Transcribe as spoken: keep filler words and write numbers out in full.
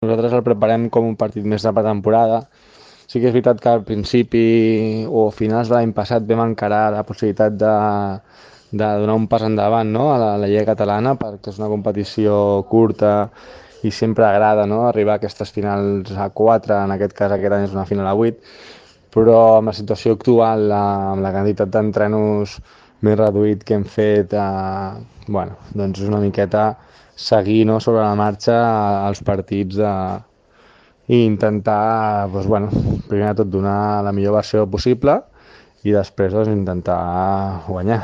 Nosaltres el preparem com un partit més de pretemporada. Sí que és veritat que al principi o a finals de l'any passat vam encarar la possibilitat de, de donar un pas endavant, no?, a la, a la Lliga Catalana, perquè és una competició curta i sempre agrada, no?, arribar a aquestes finals a quatre, en aquest cas aquest any és una final a vuit, però amb la situació actual, amb la quantitat d'entrenos més reduït que hem fet, eh, bueno, doncs és una miqueta seguir, no?, sobre la marxa els partits de, i intentar, doncs, bueno, primer de tot donar la millor versió possible i després doncs, intentar guanyar.